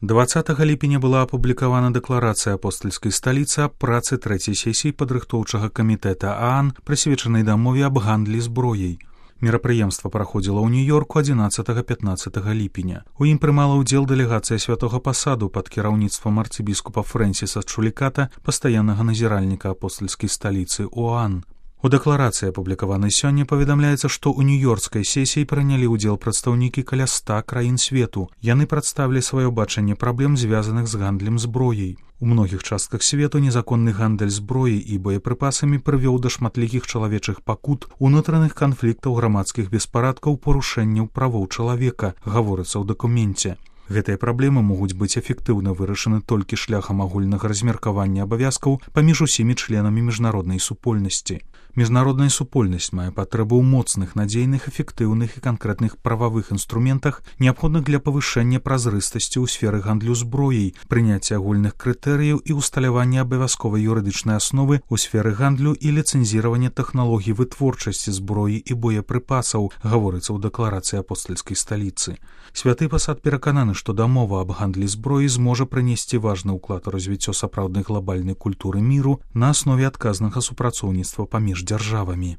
20 ліпеня была апублікавана дэкларацыя апостальскай сталіцы аб працы трэцяй сесіі падрыхтоўчага камітэта ААН, прысвечанай дамове аб гандлі зброяй. Мерапрыемства праходзіла ў Нью-Йорку 11-15 ліпеня. У ім прымала ўдзел дэлегацыя святога пасаду пад кіраўніцтвам арцыбіскупа Фрэнсіса Чуліката, пастаяннага назіральніка апостальскай сталіцы ОАН. У дэкларацыі, апублікаванай сёння, паведамляецца, што ў нью-йоркскай сесіі прынялі ўдзел прадстаўнікі каля 100 краін свету. Яны прадставілі сваё бачанне праблем, звязаных з гандлем зброяй. У многіх частках свету незаконны гандаль зброяй і боепрыпасамі прывёў да шматлікіх чалавечых пакут, унутраных канфліктаў, грамадскіх беспарадкаў, парушэнняў правоў чалавека, гаворыцца ў дакуменце. Гэтыя праблемы могуць быць эфектыўна вырашаны толькі шляхам агульнага размеркавання абавязкаў паміж усімі членамі міжнароднай супольнасці. Міжнародная супольнасць мае патрэбу ў моцных, надзейных, эфектыўных і канкрэтных прававых інструментах, неабходных для павышэння празрыстасці ў сферы гандлю зброяй, прыняцця агульных крытэрыяў і ўсталявання абавязковай юрыдычнай асновы ў сферы гандлю і ліцэнзіравання тэхналогій вытворчасці зброі і боепрыпасаў, гаворыцца ў дэкларацыі апостальскай сталіцы. Святы пасад перакананы, што дамова аб гандлі зброі зможа прынесці важны ўклад у развіццё сапраўднай глабальнай культуры міру на аснове адказнага супрацоўніцтва паміж дзяржавамі.